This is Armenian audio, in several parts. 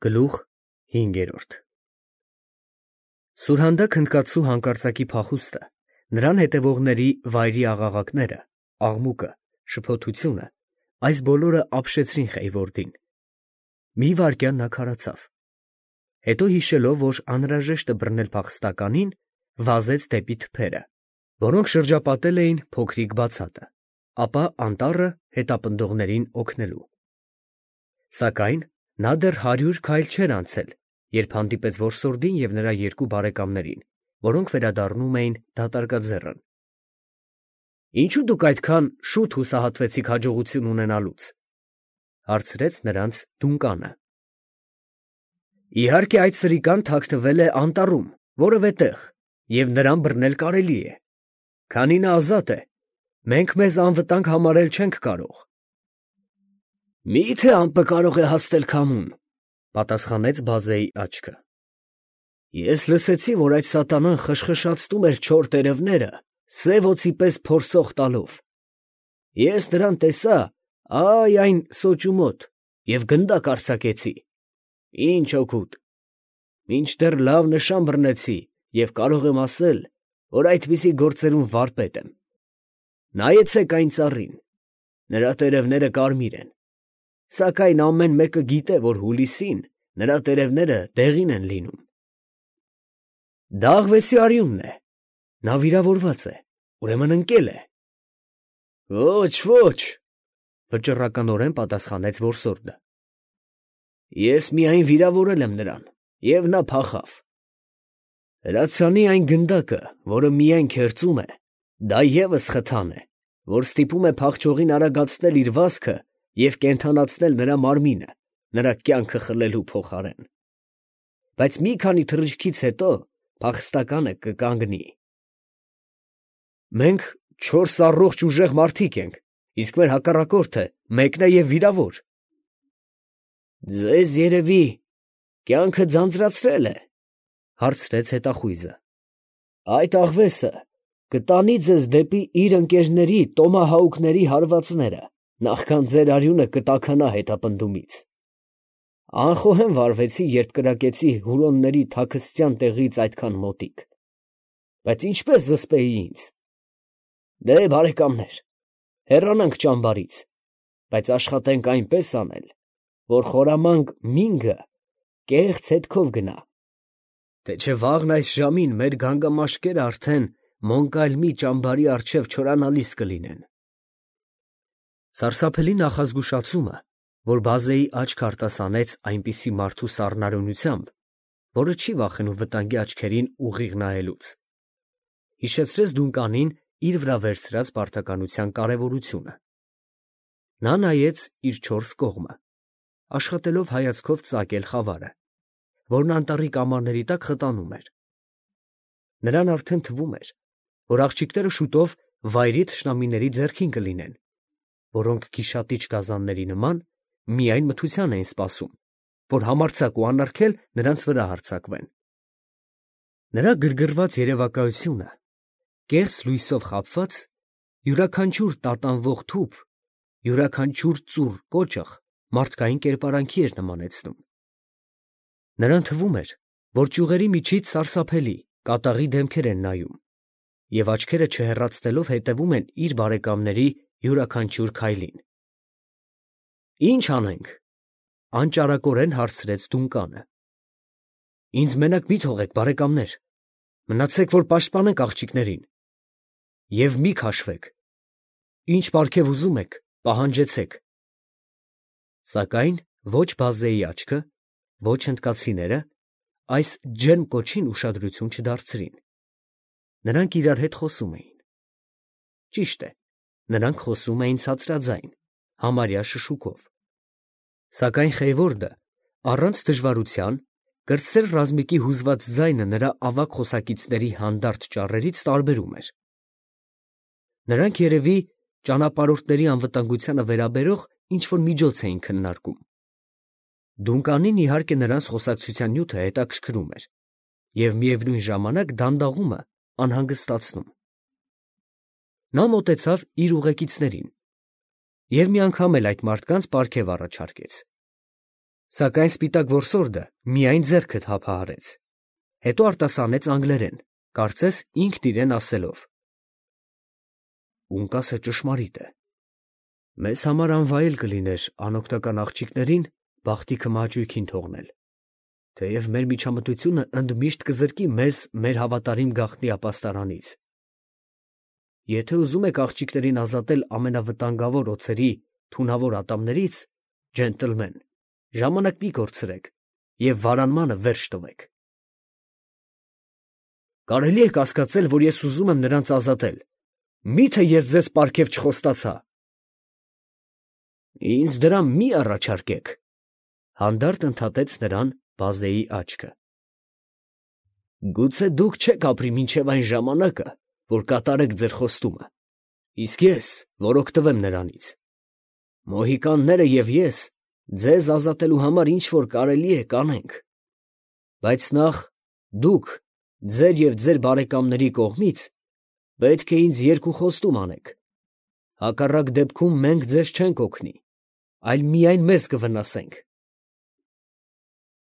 Գլուխ 5 Սուրհանդակ հնդկացու հանկարծակի փախուստը, նրան հետևողների վայրի աղաղակները, աղմուկը, շփոթությունը, այս բոլորը ապշեցրին Խեյվորդին. մի վայրկյան նա քարացավ, հետո հիշելով, որ անհրաժեշտ է բռնել փախստականին, վազեց դեպի թփերը, որոնք շրջապատել էին փոքրիկ բացատը, ապա անտառը հետապնդողներին օգնելու։ Սակայն նա դեռ 100 քայլ չէր անցել, երբ հանդիպեց որսորդին և նրա երկու բարեկամներին, որոնք վերադառնում էին դատարկաձեռն։ «Ինչո՞ւ դուք այդքան շուտ հուսահատվեցիք հաջողություն ունենալուց», հարցրեց նրանց Դունկանը։ «Իհարկե այդ սրիկան թաքնվել է անտառում, որևէ տեղ, և նրան բռնել կարելի է։ Քանի նա ազատ է, մենք մեզ անվտանգ համարել չենք կարող»։ «Մի՞թե ամպը կարող է հասնել քամուն», պատասխանեց Բազեի աչքը։ «Ես լսեցի, որ այդ սատանան խշխշացնում էր չոր տերևները, սև օձի պես փորսող տալով։ Ես նրան տեսա, այն սոճու մոտ, և գնդակ արձակեցի։ Ինչ օգուտ։ Մինչդեռ լավ նշան բռնեցի և կարող եմ ասել, որ այդպիսի գործերում վարպետ եմ։ Նայեցեք այն ծառին, նրա տերևները կարմիր են, սակայն ամեն մեկը գիտե, որ հուլիսին նրա տերևները դեղին են լինում։ Դա աղվեսի արյունն է, նա վիրավորված է, ուրեմն ընկել է»։ «Ոչ, վճռականորեն պատասխանեց որսորդը։ Ես միայն վիրավորել եմ նրան, և նա փախավ։ Հրացանի այն գնդակը, որը միայն քերծում է, դա ևս խթան է, որ ստիպում է փախչողին արագացնել իր վազքը և կենդանացնել նրա մարմինը, նրա կյանքը խլելու փոխարեն։ Բայց մի քանի թռիչքից հետո փախստականը կկանգնի։ Մենք 4 առողջ ուժեղ մարդիկ ենք, իսկ մեր հակառակորդը մեկն է և վիրավոր։ Ձեզ, երևի, կյանքը ձանձրացրել է, հարցրեց հետախույզը։ Այդ աղվեսը կտանի ձեզ դեպի իր ընկերների տոմահաուկների հարվածները, նախքան ձեր արյունը կտաքանա հետապնդումից։ Անխոհեմ վարվեցի, երբ կրակեցի հուրոնների թաքստյան տեղից այդքան մոտիկ։ Բայց ինչպես զսպեի ինձ։ Դե, բարեկամներ, հեռանանք ճամբարից, բայց աշխատենք այնպես անել, որ խորամանկ Մինգը կեղծ հետքով գնա, թե չէ վաղն այս ժամին մեր գանգամաշկերը արդեն Մոնկալմի ճամբարի առջև չորանալիս կլինեն։ Սարսափելի նախազգուշացումը, որ Բազեի աչքը արտասանեց այնպիսի մարդու սառնարյունությամբ, որը չի վախենում վտանգի աչքերին ուղիղ նայելուց, հիշեցրեց Դունկանին իր վրա վերցրած պարտականության կարևորությունը։ Նա նայեց իր 4 կողմը, աշխատելով հայացքով ծակել խավարը, որն անտառի կամարների տակ խտանում էր։ Նրան արդեն թվում էր, որ աղջիկները շուտով վայրի թշնամիների ձեռքին կլինեն, որոնք գիշատիչ գազանների նման միայն մթության էին սպասում, որ համարձակ ու անարգել նրանց վրա հարձակվեն։ Նրա գրգռված երևակայությունը, կեղծ լույսով խաբված, յուրաքանչյուր տատանվող թուփ, յուրաքանչյուր ծուռ կոճղ մարդկային կերպարանքի էր նմանեցնում։ Նրան թվում էր, որ ճյուղերի միջից սարսափելի, կատաղի դեմքեր են նայում, և աչքերը չհեռացնելով հետևում են իր բարեկամների յուրաքանչյուր քայլին։ «Ի՞նչ անենք», անճարակորեն հարցրեց Դունկանը։ «Ինձ մենակ մի թողեք, բարեկամներ, մնացեք, որ պաշտպանենք աղջիկներին։ Եվ մի քաշվեք, ինչ պարգև ուզում եք, պահանջեցեք»։ Սակայն ոչ Բազեի աչքը, ոչ հնդկացիները այս ջերմ կոչին ուշադրություն չդարձրին։ Նրանք իրար հետ խոսում էին։ Ճիշտ է, նրանք խոսում էին ցածրաձայն, համարյա շշուկով։ Սակայն Խեյվորդը առանց դժվարության, կրտսեր ռազմիկի հուզված ձայնը նրա ավագ խոսակիցների հանդարտ ճառերից տարբերում էր։ Նրանք երևի ճանապարհորդների անվտանգությանը վերաբերող ինչ-որ միջոց էին քննարկում։ Դունկանին իհարկե նրանց խոսակցության նյութը հետաքրքրում էր և միևնույն ժամանակ դանդաղումը անհանգստացնում։ Նա մոտեցավ իր ուղեկիցներին և մի անգամ էլ այդ մարդկանց պարգև առաջարկեց։ Սակայն սպիտակ որսորդը միայն ձեռքը թափահարեց, հետո արտասանեց անգլերեն, կարծես ինքն իրեն ասելով. «Ունկասը ճշմարիտ է. մեզ համար անվայել կլիներ անօգնական աղջիկներին բախտի քմահաճույքին թողնել, թեև մեր միջամտությունը ընդմիշտ կզրկի մեզ մեր հավատարիմ գաղտնի ապաստարանից։ Եթե ուզում եք աղջիկներին ազատել ամենավտանգավոր օձերի թունավոր ատամներից, ջենտլմեն, ժամանակ մի կորցրեք և վարանմանը վերջ տվեք»։ Կարելի է կասկածել, որ ես ուզում եմ նրանց ազատել, մի՞թե ես ձեզ պարգև չխոստացա։ Ինձ դրամ մի առաջարկեք, հանդարտ ընդհատեց նրան Բազեի աչքը։ Գուցե դուք չեք ապրի մինչև այն ժամանակը, որ կատարեք ձեր խոստումը, իսկ ես, որ օգտվեմ նրանից։ Մոհիկանները և ես ձեզ ազատելու համար ինչ որ կարելի է կանենք, բայց նախ դուք ձեր և ձեր բարեկամների կողմից պետք է ինձ երկու խոստում անեք, հակառակ դեպքում մենք ձեզ չենք օգնի, այլ միայն մեզ կվնասենք։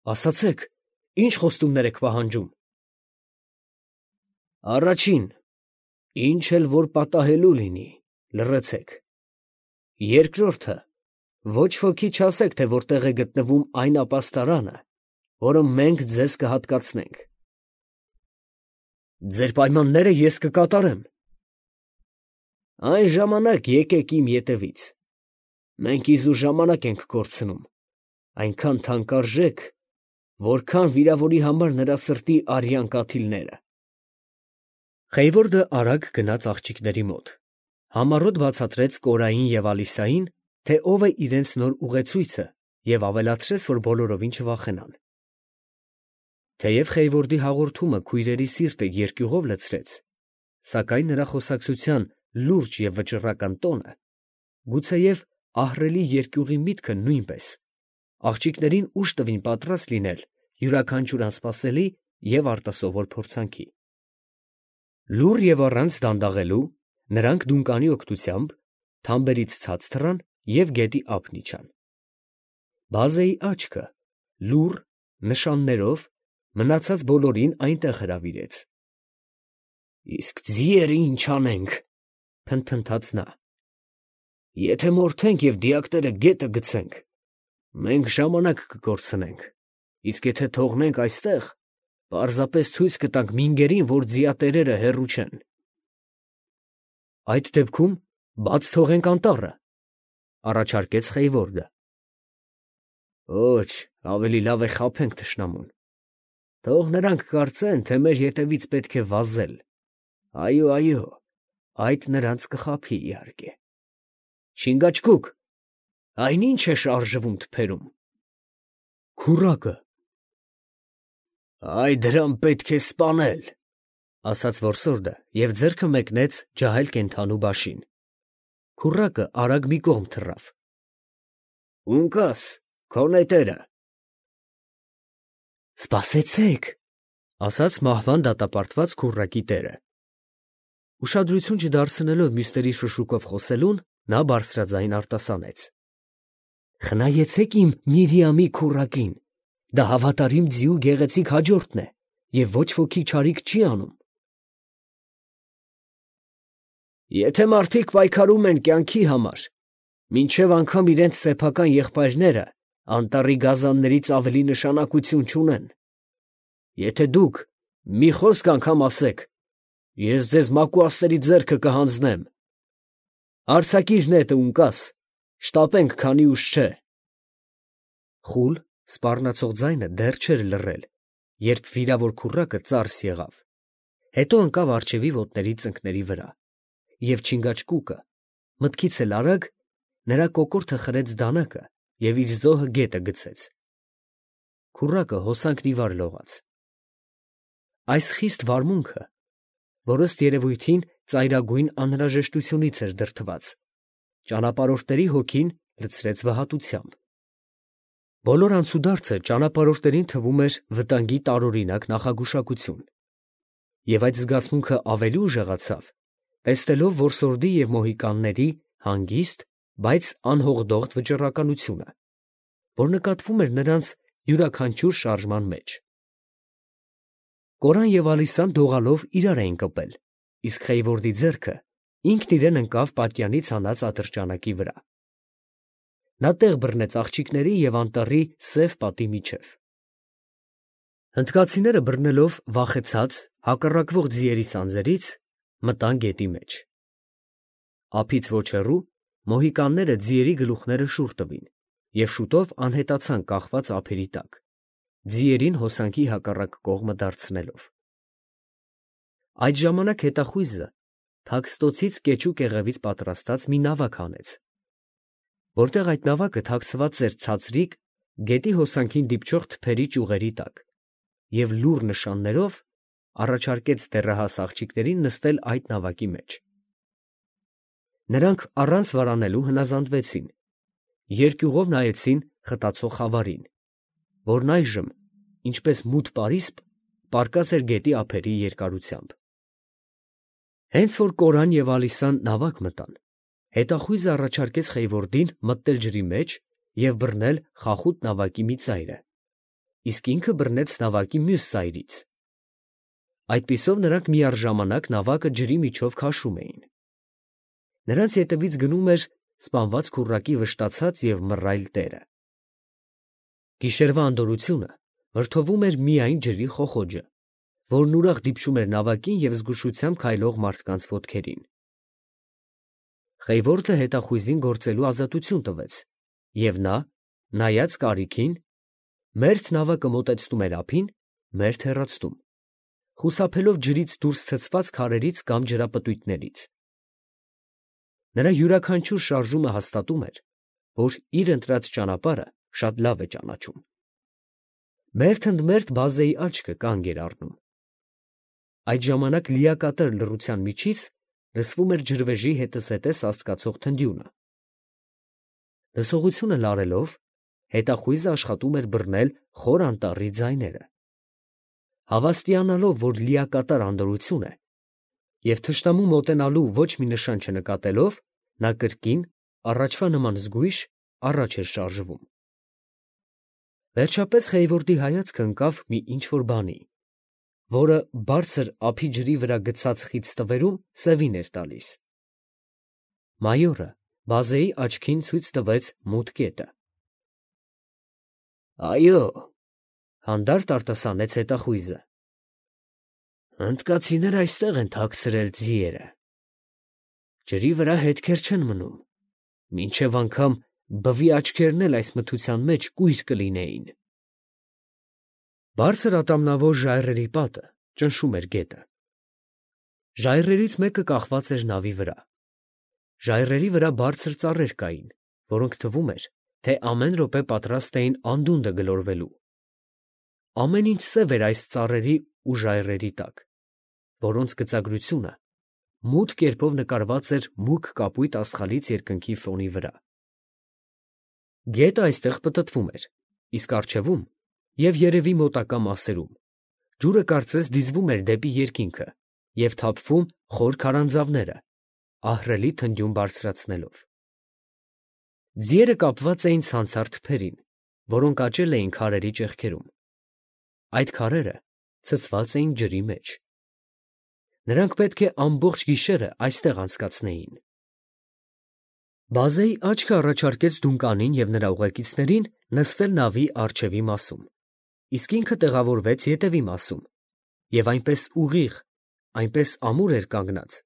Ասացեք, ի՞նչ խոստումներ եք պահանջում։ Առաջին, ինչ էլ որ պատահելու լինի, լռեցեք։ Երկրորդը, ոչ ոքի չասեք, թե որտեղ է գտնվում այն ապաստարանը, որը մենք ձեզ կհատկացնենք։ Ձեր պայմանները ես կկատարեմ։ Այն ժամանակ եկեք իմ ետևից։ Մենք իզուր ժամանակ ենք կորցնում, այնքան թանկարժեք, որքան վիրավորի համար նրա սրտի արյան կաթիլները։ Խեյվորդը արագ գնաց աղջիկների մոտ, համառոտ բացատրեց Կորային և Ալիսային, թե ով է իրենց նոր ուղեցույցը, և ավելացրեց, որ բոլորովին չվախենան։ Թեև Խեյվորդի հաղորդումը քույրերի սիրտը երկյուղով լցրեց, սակայն նրա խոսակցության լուրջ և վճռական տոնը, գուցեև ահռելի երկյուղի միտքը նույնպես, աղջիկներին ուժ տվին պատրաստ լինել յուրաքանչյուր անսպասելի և արտասովոր փորձանքի։ Լուռ և առանց դանդաղելու նրանք դունկանի օգնությամբ թամբերից ցած թռան և գետի ափն իջան։ Բազեի աչքը լուռ նշաններով մնացած բոլորին այնտեղ հրավիրեց։ Իսկ ձիերը ի՞նչ անենք, փնթփնթաց նա։ Եթե մորթենք և դիակները գետը գցենք, մենք ժամանակ կկորցնենք, իսկ եթե թողնենք այստեղ, պարզապես ցույց կտանք մինգերին, որ ձիատերերը հեռու չեն։ Այդ դեպքում բաց թողենք անտառը, առաջարկեց Խեյվորդը։ Ոչ, ավելի լավ է խաբենք թշնամուն։ Թող նրանք կարծեն, թե մեր ետևից պետք է վազել։ Այո, այո, այդ նրանց կխաբի, իհարկե։ Չինգաչգուկ, այն ի՞նչ է շարժվում թփերում։ Քուռակը։ Այ դրան պետք է սպանել, ասաց որսորդը և ձեռքը մեկնեց ջահել կենդանու բաշին։ Քուռակը արագ մի կողմ թռավ։ Ունկաս, քո նետերը։ Սպասեցեք, ասաց մահվան դատապարտված քուռակի տերը։ Ուշադրություն չդարձնելով մյուսների շշուկով խոսելուն, նա բարձրաձայն արտասանեց. Խնայեցեք իմ Միրիամի քուռակին, դա հավատարիմ ձիու գեղեցիկ հաջորդն է և ոչ ոքի չարիք չի անում։ Եթե մարդիկ պայքարում են կյանքի համար, մինչև անգամ իրենց սեփական եղբայրները անտառի գազաններից ավելի նշանակություն չունեն։ Եթե դուք մի խոսք անգամ ասեք, ես ձեզ մակուասների ձեռքը կհանձնեմ։ Արձակիր նետը, Ունկաս, շտապենք, քանի ուշ չէ։ Խուլ, սպառնացող ձայնը դեռ չէր լռել, երբ վիրավոր քուռակը ծարս եղավ, հետո ընկավ առջևի ոտների ծնկների վրա, և Չինգաչգուկը, մտքից էլ արագ, նրա կոկորդը խրեց դանակը և իր զոհը գետը գցեց։ Քուռակը հոսանքն ի վար լողաց։ Այս խիստ վարմունքը, որ ըստ երևույթին ծայրագույն անհրաժեշտությունից էր դրդված, ճանապարհորդների հոգին լցրեց վհատությամբ։ Բոլոր անցուդարձը ճանապարհորդներին թվում էր վտանգի տարօրինակ նախագուշակություն, և այդ զգացմունքը ավելի ուժեղացավ, տեսնելով որսորդի և մոհիկանների հանգիստ, բայց անհողդողդ վճռականությունը, որ նկատվում էր նրանց յուրաքանչյուր շարժման մեջ։ Կորան և Ալիսան դողալով իրար էին կպել, իսկ Խեյվորդի ձեռքը ինքն իրեն ընկավ պատյանից հանած ատրճանակի վրա։ Նա տեղ բռնեց աղջիկների և անտառի սև պատի միջև։ Հնդկացիները բռնելով վախեցած հակառակվող ձիերի սանձերից մտան գետի մեջ։ Ափից ոչ հեռու մոհիկանները ձիերի գլուխները շուռ տվին և շուտով անհետացան կախված ափերի տակ, ձիերին հոսանքի հակառակ կողմը դարձնելով։ Այդ ժամանակ հետախույզը թաքստոցից կեչու կեղևից պատրաստած մի նավակ հանեց, որտեղ այդ նավակը թաքցված էր ցածրիկ, գետի հոսանքին դիպչող թփերի ճյուղերի տակ, և լուռ նշաններով առաջարկեց դեռահաս աղջիկներին նստել այդ նավակի մեջ։ Նրանք առանց վարանելու հնազանդվեցին, երկյուղով նայեցին խտացող խավարին, որն այժմ, ինչպես մութ պարիսպ, պառկած էր գետի ափերի երկարությամբ։ Հենց որ Կորան և Ալիսան նավակ մտան, հետախույզը առաջարկեց Խեյվորդին մտնել ջրի մեջ և բռնել խախուտ նավակի մի ծայրը, իսկ ինքը բռնեց նավակի մյուս ծայրից։ Այդպիսով նրանք միառժամանակ նավակը ջրի միջով քաշում էին։ Նրանց ետևից գնում էր սպանված քուռակի վշտացած և մռայլ տերը։ Գիշերվա անդորրությունը վրդովում էր միայն ջրի խոխոջը, որն ուրախ դիպչում էր նավակին և զգուշությամբ քայլող մարդկանց ոտքերին։ Խեյվորդը հետախույզին գործելու ազատություն տվեց, և նա, նայած կարիքին, մերթ նավակը մոտեցնում էր ափին, մերթ հեռացնում, խուսափելով ջրից դուրս ցցված քարերից կամ ջրապտույտներից։ Նրա յուրաքանչյուր շարժումը հաստատում էր, որ իր ընտրած ճանապարհը շատ լավ է ճանաչում։ Մերթ ընդ մերթ բազեի աչքը կանգ էր առնում։ Այդ ժամանակ լիակատար լռության միջից լսվում էր ջրվեժի հետզհետե սաստկացող թնդյունը։ Լսողությունը լարելով, հետախույզը աշխատում էր բռնել խոր անտառի ձայները։ Հավաստիանալով, որ լիակատար անդորրություն է, և թշնամու մոտենալու ոչ մի նշան չնկատելով, նա կրկին, առաջվա նման զգույշ, առաջ էր շարժվում։ Վերջապես Խեյվորդի հայացքը ընկավ մի ինչ֊որ բանի, որը բարձր ափի ջրի վրա գցած խիտ ստվերում սևին էր տալիս։ Մայորը բազեի աչքին ցույց տվեց մութ կետը։ «Այո՛, ֊ հանդարտ արտասանեց հետախույզը, ֊ հնդկացիները այստեղ են թաքցրել ձիերը։ Ջրի վրա հետքեր չեն մնում, մինչև անգամ բվի աչքերն էլ այս մթության մեջ կույր կլինեին»։ Բարձր ատամնավոր ժայռերի պատը ճնշում էր գետը։ Ժայռերից մեկը կախված էր նավի վրա։ Ժայռերի վրա բարձր ծառեր կային, որոնք թվում էր, թե ամեն րոպե պատրաստ էին անդունդը գլորվելու։ Ամեն ինչ սև էր այս ծառերի ու ժայռերի տակ, որոնց գծագրությունը մութ կերպով նկարված էր մուգ կապույտ աստղալից երկնքի ֆոնի վրա։ Գետը այստեղ պտտվում էր, իսկ առջևում և երևի մոտակա մասերում ջուրը կարծես դիզվում էր դեպի երկինքը և թափվում խոր քարանձավները, ահռելի թնդյուն բարձրացնելով։ Ձիերը կապված էին ցանցառ թփերին, որոնք աճել էին քարերի ճեղքերում։ Այդ քարերը ցցված էին ջրի մեջ։ Նրանք պետք է ամբողջ գիշերը այստեղ անցկացնեին։ Բազեի աչքը առաջարկեց Դունկանին և նրա ուղեկիցներին նստել նավի առջևի մասում, իսկ ինքը տեղավորվեց ետևի մասում և այնպես ուղիղ, այնպես ամուր էր կանգնած,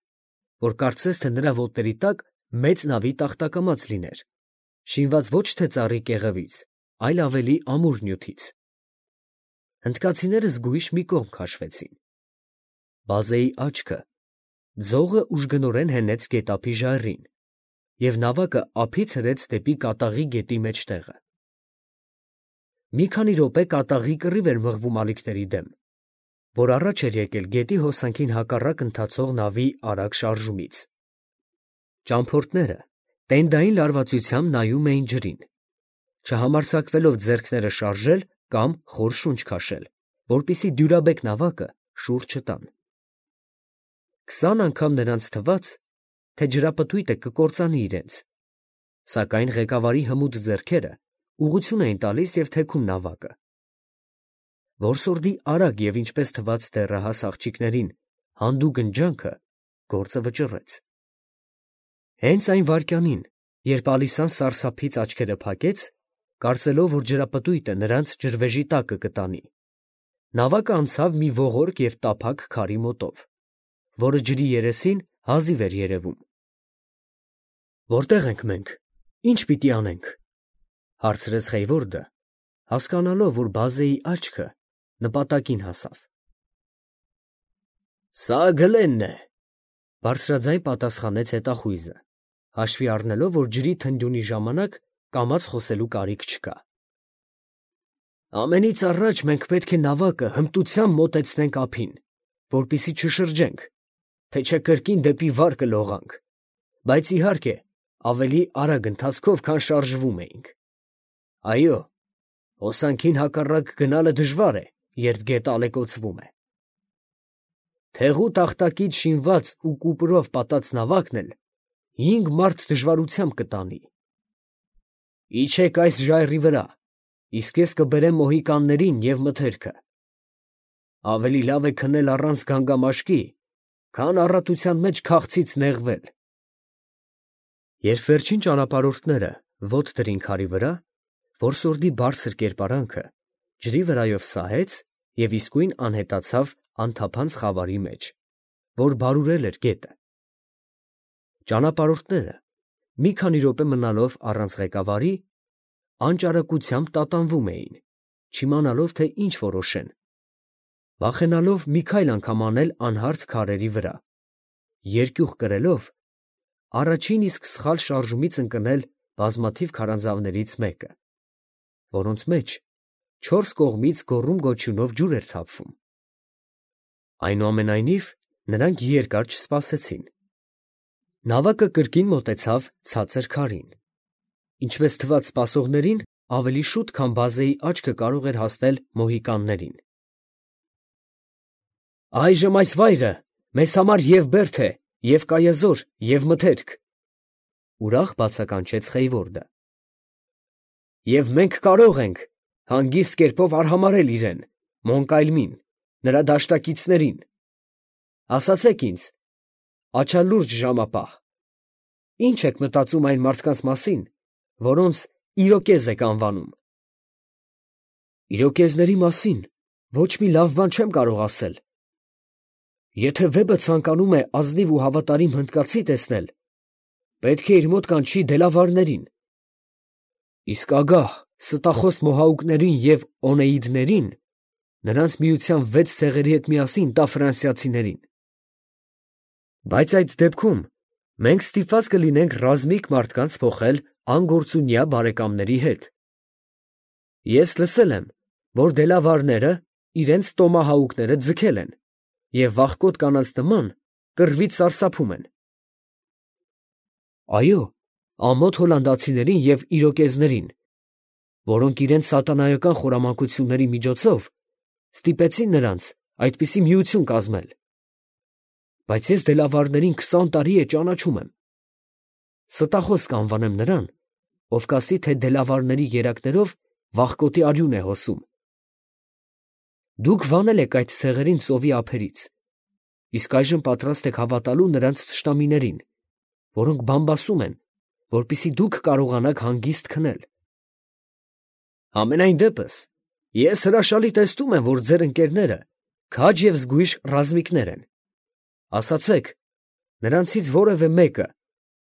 որ կարծես թե նրա ոտների տակ մեծ նավի տախտակամած լիներ, շինված ոչ թե ծառի կեղևից, այլ ավելի ամուր նյութից։ Հնդկացիները զգույշ մի կողմ քաշվեցին։ Բազեի աչքը ձողը ուժգնորեն հենեց գետափի ժայռին, և նավակը ափից հրեց դեպի կատաղի գետի մեջտեղը։ Մի քանի րոպե կատաղի կռիվ էր մղվում ալիքների դեմ, որ առաջ էր եկել գետի հոսանքին հակառակ ընթացող նավի արագ շարժումից։ Ճամփորդները տենդային լարվածությամբ նայում էին ջրին, չհամարձակվելով ձեռքները շարժել կամ խոր շունչ քաշել, որպեսզի դյուրաբեկ նավակը շուռ չտան։ 20 անգամ նրանց թվաց, թե ջրապտույտը կկործանի իրենց, սակայն ղեկավարի հմուտ ձեռքերը ուղղություն էին տալիս և թեքում նավակը։ Որսորդի արագ և ինչպես թվաց դեռահաս աղջիկներին հանդուգն ջանքը գործը վճռեց։ Հենց այն վայրկյանին, երբ Ալիսան սարսափից աչքերը փակեց, կարծելով, որ ջրապտույտը նրանց ջրվեժի տակը կտանի, նավակը անցավ մի ողորկ և տափակ քարի մոտով, որը ջրի երեսին հազիվ էր երևում։ «Որտե՞ղ ենք մենք, ի՞նչ պիտի անենք», ֊ հարցրեց Խեյվորդը, հասկանալով, որ բազեի աչքը նպատակին հասավ։ «Սա Գլենն է», ֊ բարձրաձայն պատասխանեց հետախույզը, հաշվի առնելով, որ ջրի թնդյունի ժամանակ կամաց խոսելու կարիք չկա։ «Ամենից առաջ մենք պետք է նավակը հմտությամբ մոտեցնենք ափին, որպեսզի չշրջենք, թե չէ կրկին դեպի վար կլողանք, բայց իհարկե ավելի արագ ընթացքով, քան շարժվում էինք։ Այո, հոսանքին հակառակ գնալը դժվար է, երբ գետը ալեկոծվում է։ Թեղու տախտակից շինված ու կուպրով պատած նավակն էլ 5 մարդ դժվարությամբ կտանի։ Իջեք այս ժայռի վրա, իսկ ես կբերեմ մոհիկաններին և մթերքը։ Ավելի լավ է քնել առանց գանգամաշկի, քան առատության մեջ քաղցից նեղվել»։ Երբ վերջին ճանապարհորդները ոտք դրին քարի վրա, որսորդի բարձր կերպարանքը ջրի վրայով սահեց և իսկույն անհետացավ անթափանց խավարի մեջ, որ բարուրել էր գետը։ Ճանապարհորդները, մի քանի րոպե մնալով առանց ղեկավարի, անճարակությամբ տատանվում էին, չիմանալով, թե ինչ որոշեն, վախենալով մի քայլ անգամ անել անհարթ քարերի վրա, երկյուղ կրելով, առաջին իսկ սխալ շարժումից ընկնել բազմաթիվ քարանձավներից մեկը, որոնց մեջ չորս կողմից գոռում֊գոչյունով ջուր էր թափվում։ Այնուամենայնիվ, նրանք երկար չսպասեցին։ Նավակը կրկին մոտեցավ ցածր քարին, ինչպես թվաց սպասողներին, ավելի շուտ, քան բազեի աչքը կարող էր հասնել մոհիկաններին։ «Այժմ այս վայրը մեզ համար և բերդ է, և կայազոր, և մթերք», ֊ ուրախ բացականչեց Խեյվորդը։ «Եվ մենք կարող ենք հանգիստ կերպով արհամարհել իրեն, Մոնկայլմին, նրա դաշտակիցներին։ Ասացեք ինձ, աչալուրջ ժամապահ, ի՞նչ եք մտածում այն մարդկանց մասին, որոնց իրոկեզ եք անվանում»։ «Իրոկեզների մասին ոչ մի լավ բան չեմ կարող ասել։ Եթե վեպը ցանկանում է ազնիվ ու հավատարիմ հնդկացի տեսնել, պետք է իր մոտ կանչի դելավարներին, իսկ ագահ, ստախոս մոհաուկներին և օնեիդներին նրանց միության 6 ցեղերի հետ միասին տա ֆրանսիացիներին։ Բայց այդ դեպքում մենք ստիպված կլինենք ռազմիկ մարդկանց փոխել անգործունյա բարեկամների հետ։ Ես լսել եմ, որ դելավարները իրենց տոմահաուկները ձգել են և վախկոտ կանանց նման կռվից սարսափում են։ Այո, ամոթ հոլանդացիներին և իրոկեզներին, որոնք իրենց սատանայական խորամանկությունների միջոցով ստիպեցին նրանց այդպիսի միություն կազմել։ Բայց ես դելավարներին 20 տարի է ճանաչում եմ։ Ստախոս կանվանեմ նրան, ով կասի, թե դելավարների երակներով վախկոտի արյուն է հոսում։ Դուք վանել եք այդ ցեղերին ծովի ափերից, իսկ այժմ պատրաստ եք հավատալու նրանց թշնամիներին, որոնք բամբասում են, որպեսզի դուք կարողանաք հանգիստ քնել։ Համենայն դեպս, ես հրաշալի տեսնում եմ, որ ձեր ընկերները քաջ և զգույշ ռազմիկներ են։ Ասացեք, նրանցից որևէ մեկը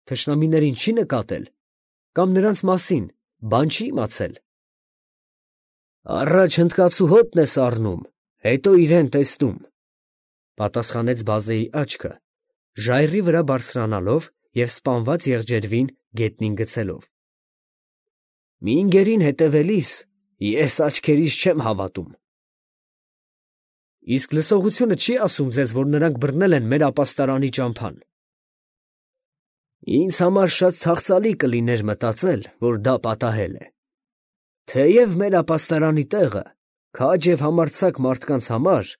թշնամիներին չի նկատել կամ նրանց մասին բան չի իմացել։ Առաջ հնդկացու հոտն ես առնում, հետո իրեն տեսնում, ֊ պատասխանեց բազեի աչքը, ժայռի վրա բարձրանալով և սպանված եղջերվին գետնին գցելով։ Մի ընկերին հետևելիս ես աչքերիս չեմ հավատում։ Իսկ լսողությունը չի ասում ձեզ, որ նրանք բռնել են մեր ապաստարանի ճամփան։ Ինձ համար շատ թախծալի կլիներ մտածել, որ դա պատահել է։ Թեև մեր ապաստարանի տեղը քաջ և համարձակ մարդկանց համար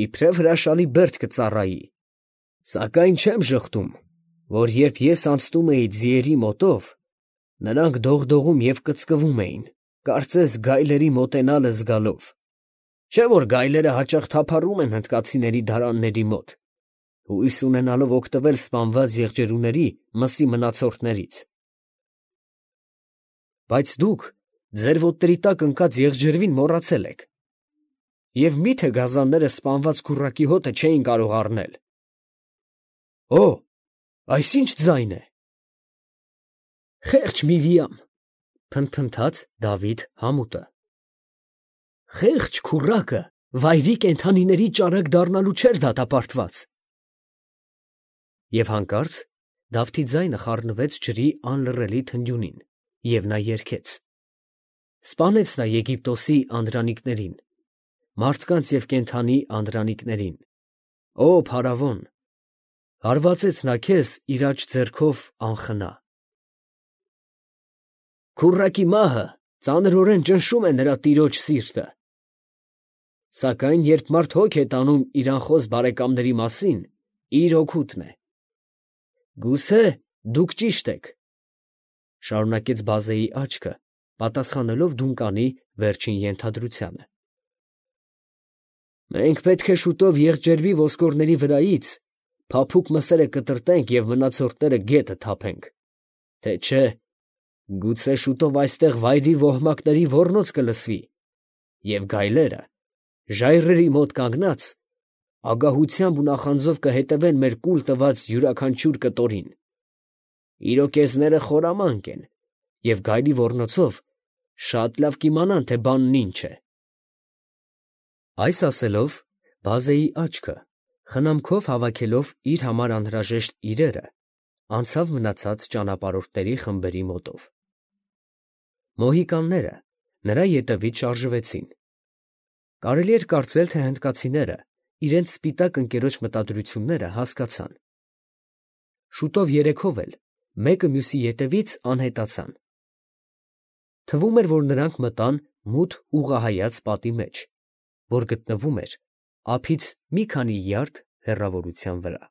իբրև հրաշալի բերդ կծառայի, սակայն չեմ ժխտում, որ երբ ես անցնում էի ձիերի մոտով, նրանք դողդողում և կծկվում էին, Կարծես գայլերի մոտենալը զգալով։ Չէ՞ որ գայլերը հաճախ թափառում են հնդկացիների դարանների մոտ, հույս ունենալով օգտվել սպանված եղջերուների մսի մնացորդներից։ Բայց դուք ձեր ոտների տակ ընկած եղջերվին մոռացել եք։ Եվ մի՞թե գազանները սպանված քուռակի հոտը չէին կարող առնել։ Օ, այս ի՞նչ ձայն է։ Խեղճ Միրիամ, փնթփնթաց Դավիթ համուտը։ Խեղճ քուռակը վայրի կենդանիների ճարակ դառնալու չէր դատապարտված։ Եվ հանկարծ Դավթի ձայնը խառնվեց ջրի անլռելի թնդյունին, և նա երգեց. Սպանեց նա Եգիպտոսի անդրանիկներին, մարդկանց և կենդանի անդրանիկներին, ո փարավոն, հարվածեց նա քեզ իր աջ ձեռքով անխնա։ Քուռակի մահը ծանրորեն ճնշում է նրա տիրոջ սիրտը։ Սակայն երբ մարդ հոգ է տանում իր անխոս բարեկամների մասին, իր օգուտն է։ Գուցե դուք ճիշտ եք, շարունակեց բազեի աչքը, պատասխանելով Դունկանի վերջին ենթադրությանը։ Մենք պետք է շուտով եղջերվի ոսկորների վրայից փափուկ մսերը կտրտենք և մնացորդները գետը թափենք, թե չէ, գուցե շուտով այստեղ վայրի ոհմակների ոռնոց կլսվի, և գայլերը, ժայռերի մոտ կանգնած, ագահությամբ ու նախանձով կհետևեն մեր կուլ տված յուրաքանչյուր կտորին։ Իրոկեզները խորամանկ են, և գայլի ոռնոցով շատ լավ կիմանան, թե բանն ինչ է։ Այս ասելով, բազեի աչքը, խնամքով հավաքելով իր համար անհրաժեշտ իրերը, անցավ մնացած ճանապարհորդների խմբերի մոտով։ Մոհիկանները նրա ետևից շարժվեցին։ Կարելի էր կարծել, թե հնդկացիները իրենց սպիտակ ընկերոջ մտադրությունները հասկացան։ Շուտով երեքով էլ մեկը մյուսի ետևից անհետացան։ Թվում էր, որ նրանք մտան մութ ուղղահայաց պատի մեջ, որ գտնվում էր ափից մի քանի յարդ հեռավորության վրա։